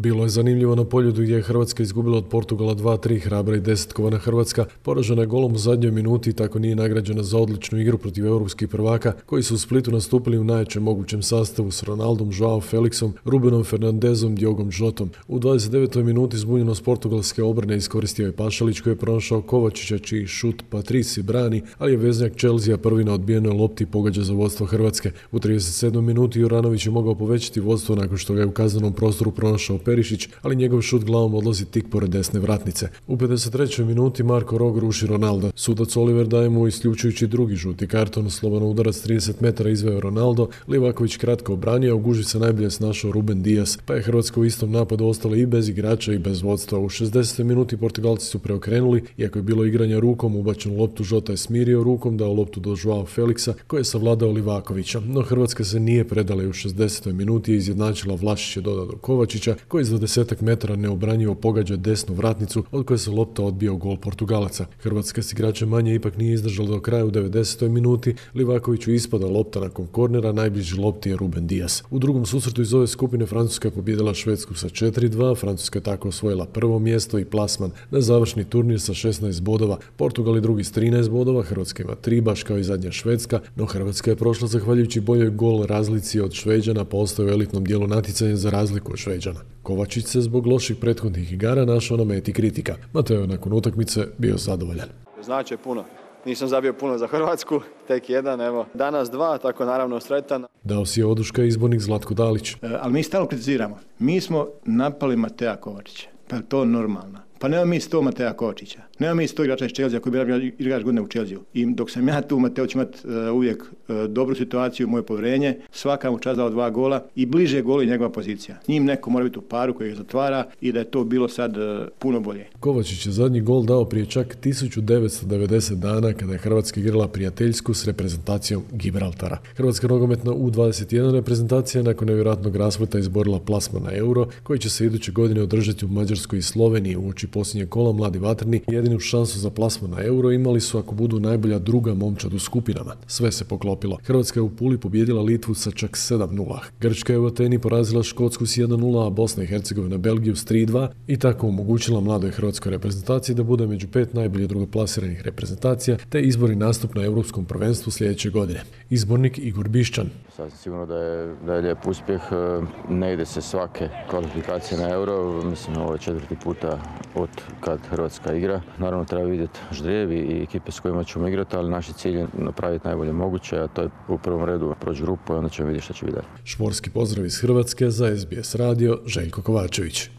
Bilo je zanimljivo na Poljudu gdje je Hrvatska izgubila od Portugala 2-3, hrabra i desetkovana Hrvatska poražena je golom u zadnjoj minuti i tako nije nagrađena za odličnu igru protiv europskih prvaka koji su u Splitu nastupili u najjačem mogućem sastavu s Ronaldom, Joao Felixom, Rubenom Fernandezom, Diogom Jotom. U 29. minuti zbunjenost portugalske obrane iskoristio je Pašalić koji je pronašao Kovačića čiji šut Patrici brani, ali je veznjak Chelsea prvi na odbijenoj lopti pogađa za vodstvo Hrvatske. U 37. minuti Juranović je mogao povećati vodstvo nakon što ga je u kaznenom prostoru pronašao Perišić, ali njegov šut glavom odlazi tik pored desne vratnice. U 53. minuti Marko Rog ruši Ronaldo. Sudac Oliver daje mu isključujući drugi žuti karton, slobodan udarac 30 metara izveo Ronaldo, Livaković kratko obranio, a u gužvi se najbolje snašao Ruben Dias, pa je Hrvatska u istom napadu ostala i bez igrača i bez vodstva. U 60. minuti Portugalci su preokrenuli, iako je bilo igranja rukom, ubačenu loptu Žota je smirio rukom, dao loptu do Joao Felixa, koji je savladao Livakovića, no Hrvatska se nije predala i u 60. minuti je izjednačila, Vlašić je dodao do Kovačića, koji za 10 metara neobranjivo pogađa desnu vratnicu, od koje se lopta odbija u gol Portugalaca. Hrvatska s igračem manje ipak nije izdržala do kraja u 90. minuti, Livakoviću ispada lopta nakon kornera, najbliži lopti je Ruben Dias. U drugom susretu iz ove skupine Francuska je pobijedila Švedsku sa 4-2, Francuska je tako osvojila prvo mjesto i plasman na završni turnir sa 16 bodova, Portugal je drugi s 13 bodova, Hrvatska ima 3 baš kao i zadnja Švedska, no Hrvatska je prošla zahvaljujući boljoj gol razlici od Šveđana, pa ostaje u elitnom dijelu natjecanja za razliku od Šveđana. Kovačić se zbog loših prethodnih igara našao na meti kritika. Mateo je nakon utakmice bio zadovoljan. Znači puno. Nisam zabio puno za Hrvatsku, tek jedan, evo. Danas 2, tako naravno sretan. Dao si je oduška izbornik Zlatko Dalić. Ali mi stalno kritiziramo. Mi smo napali Matea Kovačića. Pa je to normalno? Pa nema mi 100 Matea Kovačića. Nema mi 100 igrača iz Chelsea koji bi igrač godine u Chelsea. I dok sam ja tu, Mateo će imati uvijek dobru situaciju, moje povjerenje. Svaka mu čast dao 2 gola i bliže golu i njegova pozicija. Njim neko mora biti u paru koji ga zatvara i da je to bilo sad puno bolje. Kovačić je zadnji gol dao prije čak 1990 dana kada je Hrvatska igrala prijateljsku s reprezentacijom Gibraltara. Hrvatska nogometna U21 reprezentacija nakon nevjerojatnog raspleta izborila plasman na Euro koji će se iduće godine održati u Mađarskoj i Sloveniji. Uoči posljednjeg kola mladi vatreni jedinu šansu za plasman na Euro imali su ako budu najbolja druga momčad u skupinama. Sve se poklopilo. Hrvatska je u Puli pobijedila Litvu sa čak 7-0. Grčka je u Ateni porazila Škotsku s 1-0, a Bosna i Hercegovina Belgiju s 3-2 i tako omogućila mladoj hrvatskoj reprezentaciji da bude među 5 najbolje drugoplasiranih reprezentacija te izbori nastup na Europskom prvenstvu sljedeće godine. Izbornik Igor Bišćan. Sasvim sigurno da je lijep uspjeh. Ne ide se svake kvalifikacije na Euro. Mislim, ovo je 4. puta od kad Hrvatska igra. Naravno, treba vidjeti ždrijevi i ekipe s kojima ćemo igrati, ali naš cilj je napraviti najbolje moguće, a to je u prvom redu proći grupu i onda ćemo vidjeti što će biti dalje. Šporski pozdrav iz Hrvatske za SBS radio, Željko Kovačević.